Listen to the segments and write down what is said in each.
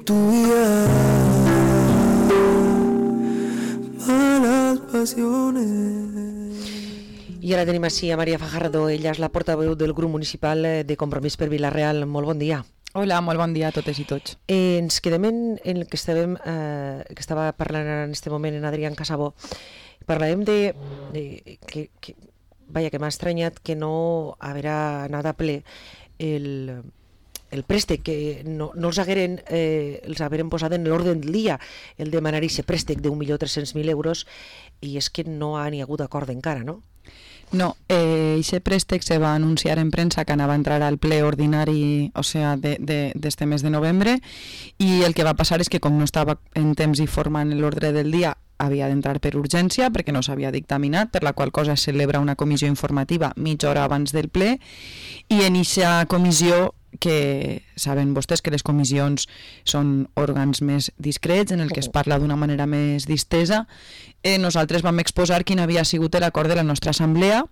tu vida, malas pasiones. I ara tenim així a Maria Fajardo, ella és la portaveu del grup municipal de Compromís per Vila-real. Molt bon dia. Hola, molt bon dia a totes i tots. Ens quedem en el que estava parlant en aquest moment en Adrián Casabó. Parlàvem que m'ha estranyat que no haurà anat a ple el préstec, que no els hagueren posat en l'ordre del dia el demanar aquest préstec d'1.300.000 euros, i és que no n'hi ha hagut acord encara, no? No, aquest préstec se va anunciar en premsa que anava a entrar al ple ordinari, o sea, d'este mes de novembre, i el que va passar és que com no estava en temps i forma en l'ordre del dia, havia d'entrar per urgència perquè no s'havia dictaminat, per la qual cosa es celebra una comissió informativa mitja hora abans del ple, i en aquesta comissió, que saben vostès que les comissions són òrgans més discrets en el que es parla d'una manera més distesa, nosaltres vam exposar quin havia sigut l'acord de la nostra assemblea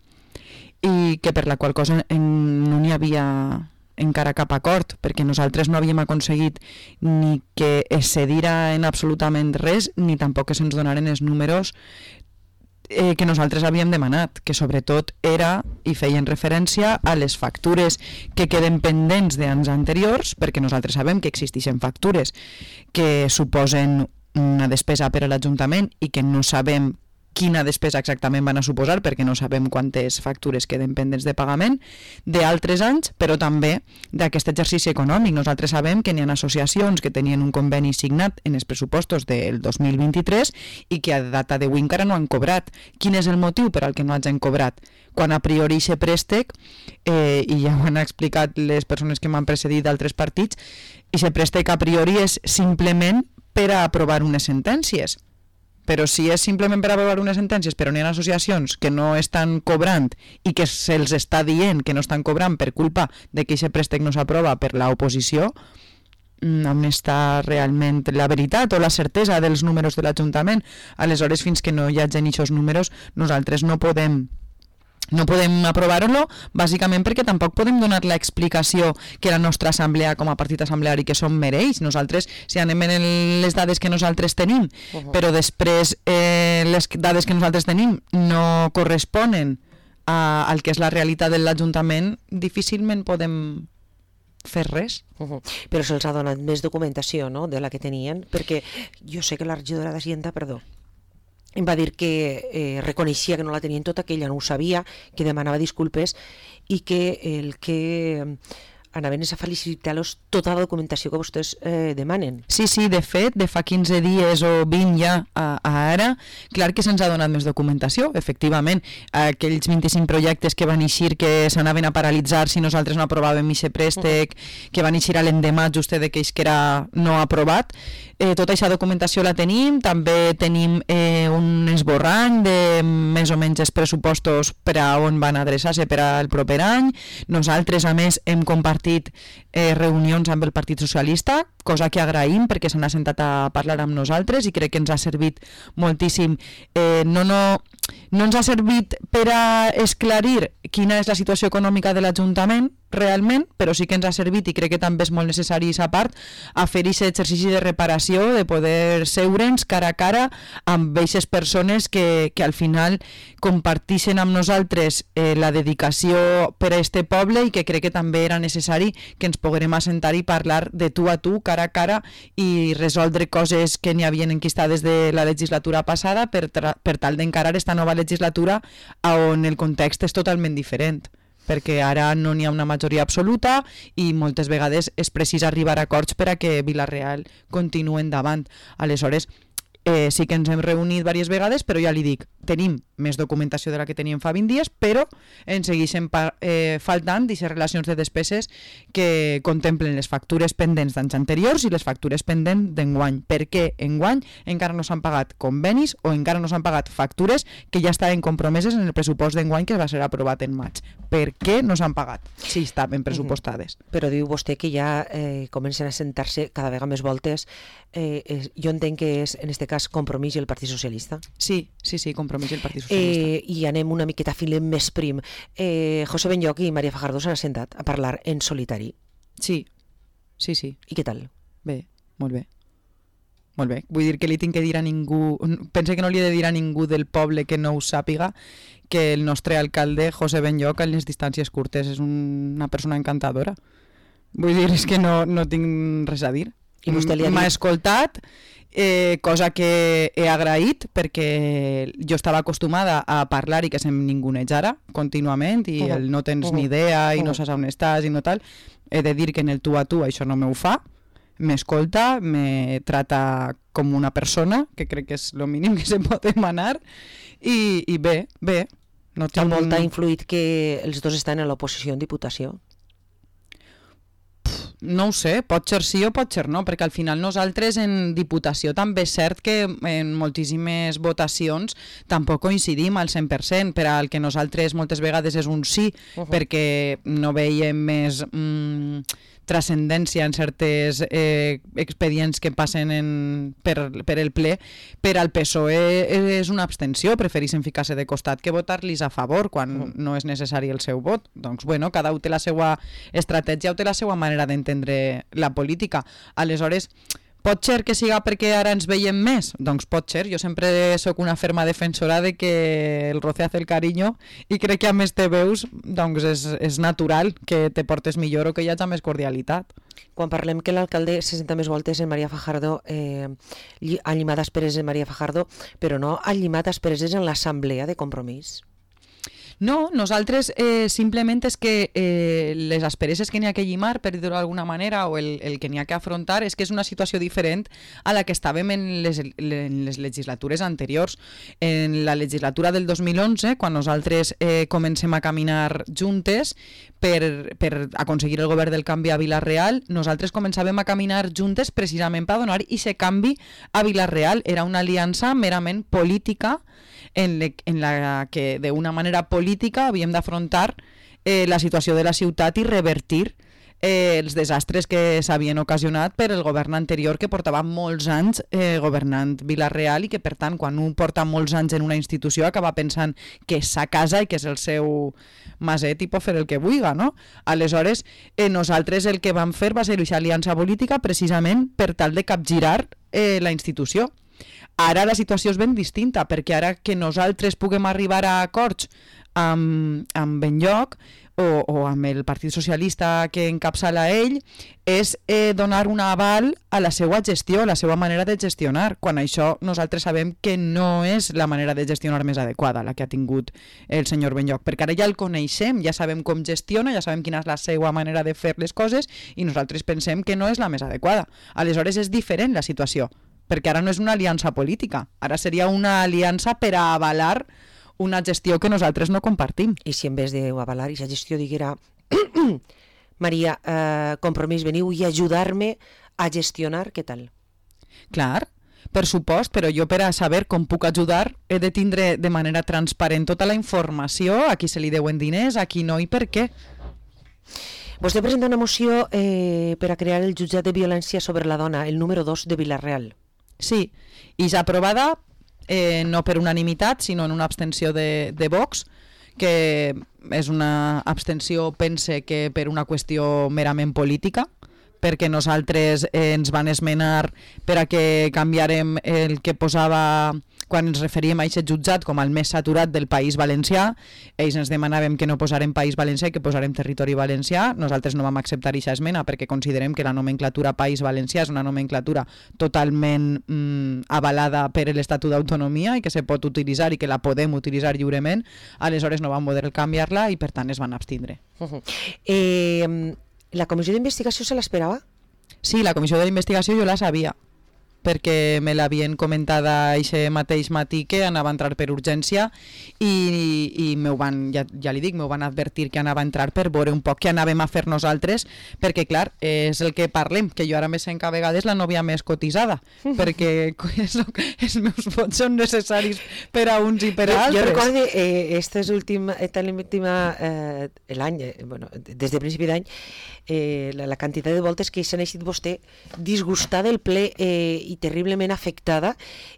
i que per la qual cosa no n'hi havia encara cap acord, perquè nosaltres no havíem aconseguit ni que es cedira en absolutament res, ni tampoc que se'ns donaren els números que nosaltres havíem demanat, que sobretot era i feien referència a les factures que queden pendents d'anys anteriors, perquè nosaltres sabem que existeixen factures que suposen una despesa per a l'Ajuntament i que no sabem quina despesa exactament van a suposar, perquè no sabem quantes factures queden pendents de pagament d'altres anys, però també d'aquest exercici econòmic. Nosaltres sabem que n'hi ha associacions que tenien un conveni signat en els pressupostos del 2023 i que a data d'avui encara no han cobrat. Quin és el motiu per al que no hagin cobrat? Quan a priori aquest préstec, i ja ho han explicat les persones que m'han precedit d'altres partits, aquest préstec a priori és simplement per a aprovar unes sentències. Però si és simplement per aprovar unes sentències, però n'hi ha associacions que no estan cobrant i que se'ls està dient que no estan cobrant per culpa de que aquest préstec no s'aprova per l'oposició, on està realment la veritat o la certesa dels números de l'Ajuntament? Aleshores, fins que no hi hagin aquests números, nosaltres no podem aprovar-lo, bàsicament perquè tampoc podem donar l'explicació que la nostra assemblea com a partit assembleari que som mereix. Nosaltres, si anem en les dades que nosaltres tenim, però després les dades que nosaltres tenim no corresponen al que és la realitat de l'Ajuntament, difícilment podem fer res. Però se'ls ha donat més documentació, no?, de la que tenien, perquè jo sé que la regidora d'Hacienda, em va dir que reconeixia que no la tenien tota, que ella no ho sabia, que demanava disculpes i que el que anaven és a felicitar-los tota la documentació que vostès demanen. Sí, de fet, de fa 15 dies o 20 ja a ara, clar que se'ns ha donat més documentació, efectivament. Aquells 25 projectes que van eixir que s'anaven a paralitzar si nosaltres no aprovàvem aquest préstec, que van eixir a l'endemà just d'aquells que era no aprovat, tota aquesta documentació la tenim. També tenim un esborrany de més o menys els pressupostos per a on van adreçar-se per al proper any. Nosaltres, a més, hem compartit reunions amb el Partit Socialista, cosa que agraïm perquè s'han assentat a parlar amb nosaltres i crec que ens ha servit moltíssim. No ens ha servit per a esclarir quina és la situació econòmica de l'Ajuntament realment, però sí que ens ha servit, i crec que també és molt necessari aquesta part, a fer aquest exercici de reparació, de poder seure'ns cara a cara amb aquestes persones que al final comparteixen amb nosaltres la dedicació per a este poble, i que crec que també era necessari que ens poguérem assentar i parlar de tu a tu, cara a cara, i resoldre coses que n'hi havien enquistades de la legislatura passada per tal d'encarar esta nova legislatura on el context és totalment diferent, perquè ara no n'hi ha una majoria absoluta i moltes vegades és precís arribar a acords per a que Vila-real continuï endavant. Aleshores, sí que ens hem reunit diverses vegades, però ja li dic, tenim més documentació de la que teníem fa 20 dies, però ens segueixen faltant aquestes relacions de despeses que contemplen les factures pendents d'anys anteriors i les factures pendents d'enguany. Per què enguany encara no s'han pagat convenis o encara no s'han pagat factures que ja estaven compromeses en el pressupost d'enguany que va ser aprovat en maig? Per què no s'han pagat si estaven pressupostades? Però diu vostè que ja comencen a sentar-se cada vegada més voltes. Jo entenc que és, en aquest cas, Compromís i el Partit Socialista. Sí, Compromís i el Partit Socialista. I anem una miqueta a fil més prim. José Benlloch i Maria Fajardo s'han assentat a parlar en solitari. Sí. I què tal? Bé. molt bé. Molt bé. Vull dir que li tinc que dir a ningú... Pense que no li he de dir a ningú del poble que no ho sàpiga que el nostre alcalde, José Benlloc, en les distàncies curtes és una persona encantadora. Vull dir, és que no tinc res a dir. I vostè li ha dit... M'ha escoltat, cosa que he agraït perquè jo estava acostumada a parlar i que se'm ningunejara contínuament i el no tens ni idea i no saps on estàs i no tal. He de dir que en el tu a tu això no m'ho fa. M'escolta, me trata com una persona, que crec que és el mínim que se pot demanar, i bé. No tinc... Amb molt ha influït que els dos estan a l'oposició en Diputació? No ho sé, pot ser sí o pot ser no, perquè al final nosaltres en Diputació també és cert que en moltíssimes votacions tampoc coincidim al 100%, per al que nosaltres moltes vegades és un sí, perquè no veiem més transcendència en certes expedients que passen per el ple. Per al PSOE és una abstenció, prefereixen ficar-se de costat que votar-los a favor quan no és necessari el seu vot. Doncs bueno, cada un té la seva estratègia o té la seva manera d'entendre la política. Aleshores, pot ser que siga perquè ara ens veiem més? Doncs pot ser. Jo sempre sóc una ferma defensora de que el roce hace el cariño i crec que a més te veus, doncs és natural que te portes millor o que hi hagi més cordialitat. Quan parlem que l'alcalde se senta més voltes en Maria Fajardo, ha llimat asperes en Maria Fajardo, però no ha llimat asperes en l'assemblea de Compromís. No, nosaltres simplement és que les aspereses que n'hi ha que llimar, per dir-ho d'alguna manera, o el que n'hi ha que afrontar, és que és una situació diferent a la que estàvem en les legislatures anteriors. En la legislatura del 2011, quan nosaltres comencem a caminar juntes per aconseguir el govern del canvi a Vila-real, nosaltres començàvem a caminar juntes precisament per donar aquest canvi a Vila-real. Era una aliança merament política en la que d'una manera política havíem d'afrontar la situació de la ciutat i revertir els desastres que s'havien ocasionat per el govern anterior, que portava molts anys governant Vila-real i que, per tant, quan un porta molts anys en una institució acaba pensant que és sa casa i que és el seu maset i pot fer el que vulga, no? Aleshores, nosaltres el que vam fer va ser aquesta aliança política precisament per tal de capgirar la institució. Ara la situació és ben distinta, perquè ara que nosaltres puguem arribar a acords amb Benlloc o amb el Partit Socialista que encapçala ell, és donar un aval a la seva gestió, a la seva manera de gestionar, quan això nosaltres sabem que no és la manera de gestionar més adequada, la que ha tingut el senyor Benlloc, perquè ara ja el coneixem, ja sabem com gestiona, ja sabem quina és la seva manera de fer les coses i nosaltres pensem que no és la més adequada. Aleshores és diferent la situació, perquè ara no és una aliança política, ara seria una aliança per a avalar una gestió que nosaltres no compartim. I si en vez d'avalar aquesta gestió diguera Maria, Compromís, veniu i ajudar-me a gestionar, què tal? Clar, per supost, però jo per a saber com puc ajudar he de tindre de manera transparent tota la informació, a qui se li deuen diners, a qui no i per què. Vostè presenta una moció per a crear el jutjat de violència sobre la dona, el número 2 de Vila-real. Sí, i ja aprovada no per unanimitat, sinó en una abstenció de Vox, que és una abstenció, pense que per una qüestió merament política, perquè nosaltres ens van esmenar per a que canviarem el que posava quan ens referíem a aquest jutjat com el més saturat del País Valencià. Ells ens demanaven que no posarem País Valencià i que posarem territori valencià. Nosaltres no vam acceptar aquesta esmena perquè considerem que la nomenclatura País Valencià és una nomenclatura totalment avalada per l'Estatut d'Autonomia i que se pot utilitzar i que la podem utilitzar lliurement. Aleshores no vam poder canviar-la i per tant es van abstindre. La comissió d'investigació se l'esperava? Sí, la comissió d'investigació jo la sabia, perquè me l'havien comentat aquest mateix matí que anava a entrar per urgència i m'ho van, ja li dic, m'ho van advertir que anava a entrar per veure un poc què anàvem a fer nosaltres, perquè clar, és el que parlem, que jo ara me sent que a vegades la nòvia més cotitzada, perquè els meus vots són necessaris per a uns i per a altres. Jo recordo l'any, des de principi d'any, la quantitat de voltes que s'ha eixit vostè disgustada del ple i terriblement afectada,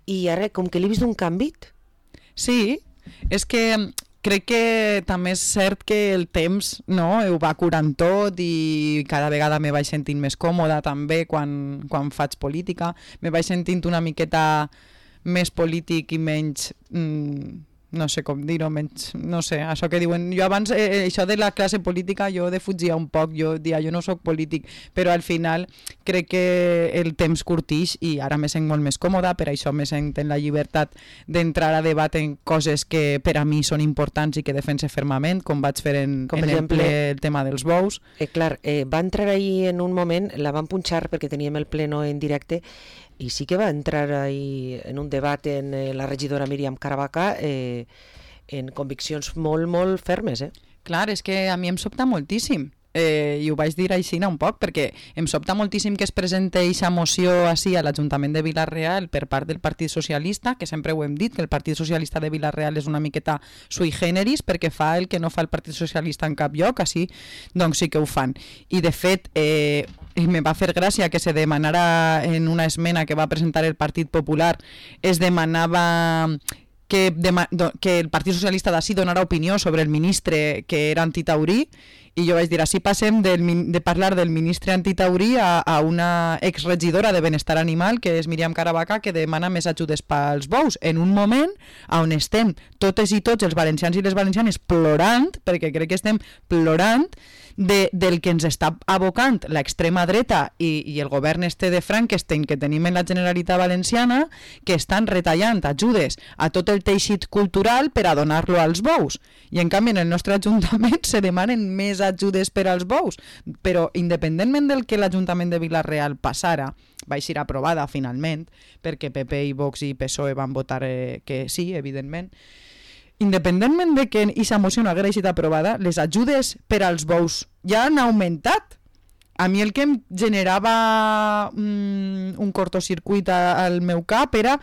i ara com que l'he vist un canvi. Sí, és que crec que també és cert que el temps, no, ho va curant tot i cada vegada me vaig sentint més còmoda també quan faig política. Me vaig sentint una miqueta més polític i menys... no sé com dir-ho, menys, no sé, això que diuen, jo abans, això de la classe política jo defugia un poc, jo dia, jo no sóc polític, però al final crec que el temps curtix i ara me sent molt més còmoda, per això me sent en la llibertat d'entrar a debat en coses que per a mi són importants i que defense fermament, com vaig fer en exemple el tema dels bous. Clar, va entrar ahir en un moment, la van punxar perquè teníem el pleno en directe, i sí que va entrar ahí en un debat en la regidora Míriam Caravaca en conviccions molt, molt fermes. Clar, és que a mi em sobta moltíssim. I ho vaig dir així un poc, perquè em sobta moltíssim que es presente aquesta moció així a l'Ajuntament de Vila-real per part del Partit Socialista, que sempre ho hem dit, que el Partit Socialista de Vila-real és una miqueta sui generis, perquè fa el que no fa el Partit Socialista en cap lloc, així doncs sí que ho fan. I de fet... me va fer gràcia que se demanara en una esmena que va presentar el Partit Popular, es demanava que el Partit Socialista d'ací donara opinió sobre el ministre que era antitaurí, i jo vaig dir, així passem de parlar del ministre antitaurí a una exregidora de Benestar Animal, que és Míriam Caravaca, que demana més ajudes pels bous, en un moment on estem totes i tots els valencians i les valencianes plorant, perquè crec que estem plorant del que ens està abocant l'extrema dreta i el govern de Frankenstein que tenim en la Generalitat Valenciana, que estan retallant ajudes a tot el teixit cultural per a donar-lo als bous. I en canvi en el nostre Ajuntament se demanen més ajudes per als bous, però independentment del que l'Ajuntament de Vila-real passara, va ser aprovada finalment, perquè PP i Vox i PSOE van votar que sí, evidentment, independentment de que aquesta moció no hagués estat aprovada, les ajudes per als bous ja han augmentat. A mi el que em generava un cortocircuit al meu cap era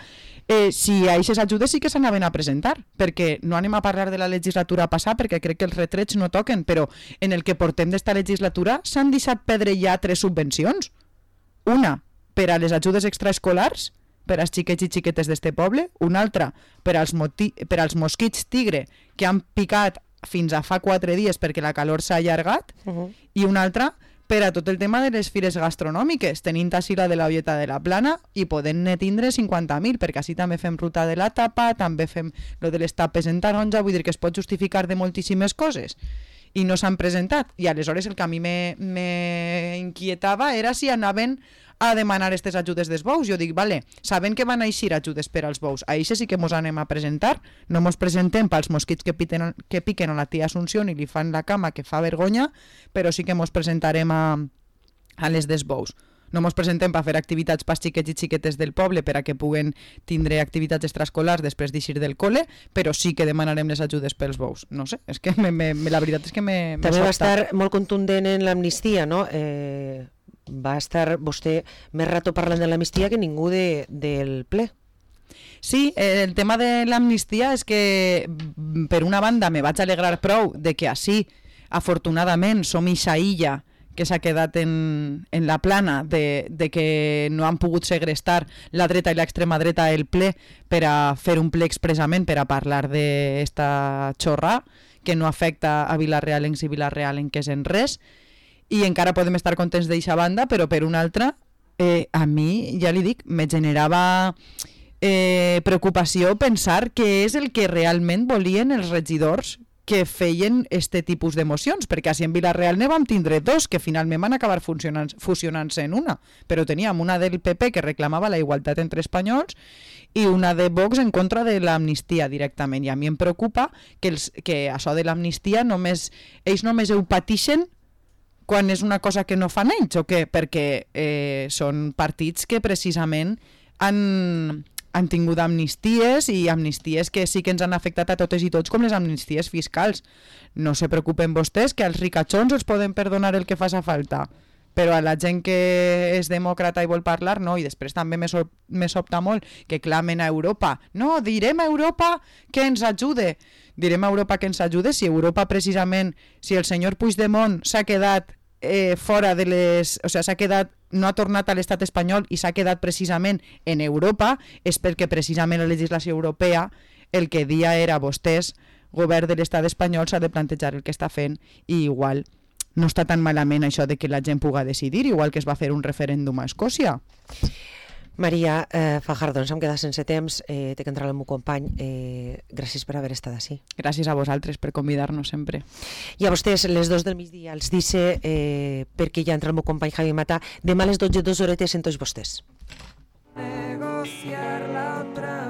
si a aquestes ajudes sí que s'anaven a presentar, perquè no anem a parlar de la legislatura passada, perquè crec que els retrets no toquen, però en el que portem d'esta legislatura s'han deixat perdre ja 3 subvencions. Una, per a les ajudes extraescolars, per als xiquets i xiquetes d'este poble, una altra per als mosquits tigre que han picat fins a fa 4 dies perquè la calor s'ha allargat, i una altra per a tot el tema de les fires gastronòmiques, tenint així la de la Olleta de la Plana i podent-ne tindre 50.000, perquè així també fem ruta de la tapa, també fem lo de les tapes en taronja, vull dir que es pot justificar de moltíssimes coses. I no s'han presentat. I aleshores el que a mi me inquietava era si anaven a demanar aquestes ajudes dels bous. Jo dic, vale, sabent que van a eixir ajudes per als bous, a això sí que mos anem a presentar, no mos presentem pels mosquits que piquen a la tia Assumpció i li fan la cama que fa vergonya, però sí que mos presentarem a les dels bous. No mos presentem per fer activitats pels xiquets i xiquetes del poble per a que puguen tindre activitats extraescolars després d'eixir del cole, però sí que demanarem les ajudes pels bous. No sé, és que la veritat és que me també sobta. Va estar molt contundent en l'amnistia, no? Va estar vostè més rato parlant de l'amnistia que ningú del ple. Sí, el tema de l'amnistia és que per una banda me vaig alegrar prou de que així, afortunadament, som ixa illa que s'ha quedat en la plana de que no han pogut segrestar la dreta i l'extrema dreta el ple per a fer un ple expressament per a parlar d'esta xorra que no afecta a vilarealencs i vilarealenques en res, i encara podem estar contents d'eixa banda, però per una altra a mi, ja li dic, me generava preocupació pensar què és el que realment volien els regidors que feien este tipus d'emocions, perquè així en Vila-real ne vam tindre 2 que finalment van acabar fusionant-se en una, però teníem una del PP que reclamava la igualtat entre espanyols i una de Vox en contra de l'amnistia directament, i a mi em preocupa que això de l'amnistia ells només ho patixen quan és una cosa que no fan ells, o què? Perquè són partits que precisament han tingut amnisties, i amnisties que sí que ens han afectat a totes i tots, com les amnisties fiscals. No se preocupen vostès, que als ricachons els poden perdonar el que faci falta, però a la gent que és demòcrata i vol parlar, no. I després també me sobta molt que clamen a Europa. No, direm a Europa que ens ajude. Direm a Europa que ens ajude si Europa precisament, si el senyor Puigdemont s'ha quedat fora de les... O sigui, s'ha quedat, no ha tornat a l'estat espanyol i s'ha quedat precisament en Europa, és perquè precisament la legislació europea el que dia era vostès govern de l'estat espanyol s'ha de plantejar el que està fent i igual no està tan malament això de que la gent puga decidir, igual que es va fer un referèndum a Escòcia. Maria Fajardo, ens hem quedat sense temps, té que entrar el meu company, gràcies per haver estat així. Gràcies a vosaltres per convidar-nos sempre. I a vostès, les 2 del migdia els dice, perquè ja entra el meu company Javi Mata, demà a les 12, 2 horetes en tots vostès. Negociar la